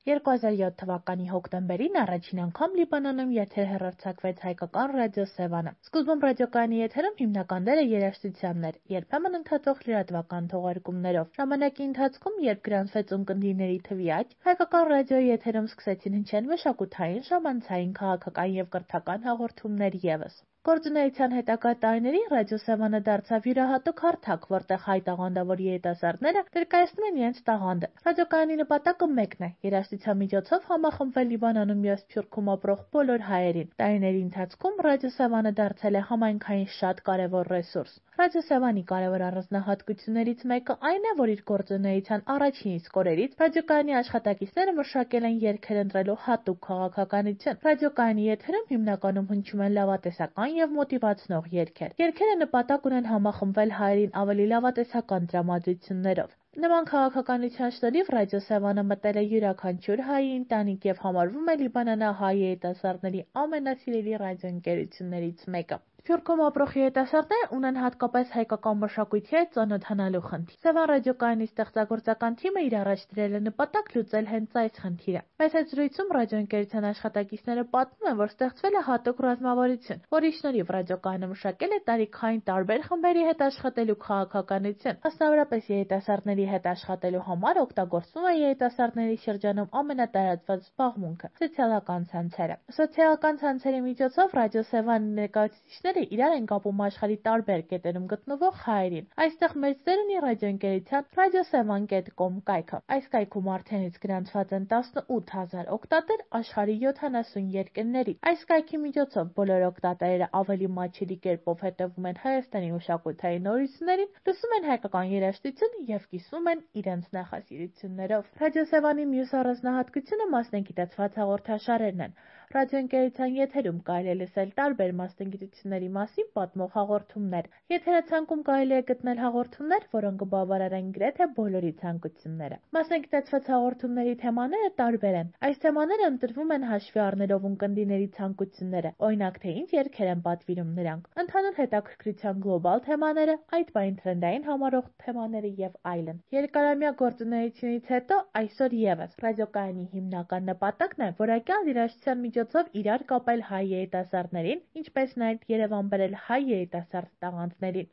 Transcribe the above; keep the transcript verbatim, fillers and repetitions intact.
երկու հազար յոթ թվականի հոկտեմբերին առաջին անգամ Լիբանանում եթեր հեռարձակվեց հայկական ռադիո Սևանը։ Սկզբում ռադիոկայանի եթերում հիմնական դերը երաժշտությանն էր, երբեմն ընդհատող լրատվական թողարկումներով։ Ժամանակի ընթացքում, երբ գրանցվեց ունկնդիրների թվի աճ, հայկական ռադիոյի եթերում սկսեցին հնչել մշակութային, ժամանցային, քաղաքական և կրթական հաղորդումներ ևս։ Գործունեության հետագա տարիներին ռադիո Սևանը դարձավ յուրահատուկ հարթակ, որտեղ հայ տաղանդավոր երիտասարդները ներկայացնում են իրենց տաղանդը։ Ռադիոկայանի նպատակը մեկն է՝ երաժշտության միջոցով համախմբվել Լիբանանում և Սփյուռքում ապրող բոլոր հայերին։ Տարիների ընթացքում ռադիո Սևանը դարձել է համայնքային շատ կարևոր ռեսուրս։ Ռադիո Սևանի կարևոր առանձնահատկություններից մեկը այն է, որ իր գործունեության առաջին իսկ օրերից ռադիոկայանի աշխատակիցները մշակել են երգեր ընտրելու հատուկ քաղաքականություն։ Ռադիոկայանի եթերում հիմնականում հնչում են լավատեսական և մոտիվացնող երգեր։ Երգերը նպատակ ունեն համախմբվել հայերին ավելի լավատեսական տրամադրություններով։ Նման քաղաքականության շնորհիվ ռադիո Սևանը մտել է յուրաքանչյուր հայի ընտանիք և համարվում է լիբանանահայ երիտասարդների ամենասիրելի ռադիոընկերություններից մեկը։ Սփյուռքում ապրող երիտասարդներն ունեն հատկապես հայկական մշակույթի հետ ծանոթանալու խնդիր։ Սևան ռադիոկայանի ստեղծագործական թիմը իր առաջ դրել է նպատակ լուծել հենց այս խնդիրը։ Մեծ հետ զրույցում ռադիոընկերության աշխատակիցները պատմում են, որ ստեղծվել է հատուկ ռազմավարություն, որի շնորհիվ ռադիոկայանը մշակել է տարիքային տարբեր խմբերի հետ աշխատելու քաղաքականություն։ Մասնավորապես երիտասարդների հետ աշխատելու համար օգտագործվում է երիտասարդների շրջանում ամենատարածված զբաղմունքը՝ սոցիալական ցանցերը։ Սոցիալական ցանցերի միջոցով ռադիո Սևանի ներկայացուցիչները իրար են կապում աշխարհի տարբեր կետերում գտնվող հայերին։ Այստեղ մեծ դեր ունի ռադիոընկերության ռադիոսևան կետ կոմ կայքը։ Այս կայքում արդեն իսկ գրանցված են տասնութ հազար օգտատեր աշխարհի յոթանասուն երկրների։ Այս կայքի միջոցով բոլոր օգտատերերը ավելի մատչելի կերպով հետևում են Հայաստանի մշակութային նորություններին, լսում են հայկական երաժշտություն և կիսվում են իրենց նախասիրություններով։ Ռադիո Սևանի մյուս առանձնահատկությունը մասնագիտացված հաղորդաշարերն են։ Ռադիոընկերության եթերում կարելի է լսել տարբեր մասնագիտությունների մասին պատմող հաղորդումներ։ Եթերացանկում կարելի է գտնել հաղորդումներ, որոնք կբավարարեն գրեթե բոլորի ցանկությունները։ Մասնագիտացված հաղորդումների թեմաները տարբեր են։ Այս թեմաները ընտրվում են հաշվի առնելով ունկնդիրների ցանկությունները, օրինակ թե ինչ երգեր են պատվիրում նրանք, ընդհանուր հետաքրքրության գլոբալ թեմաները, այդ պահին թրենդային համարվող թեմաները և այլն։ Երկարամյա գործունեությունից հետո այսօր ևս ռադիոկայանի հիմնական նպատակն է որակյալ երաժշտության միջոցով իրար կապել հայ երիտասարդներին, ինչպես նաև Երևան բերել հայ երիտասարդ տաղանդներին։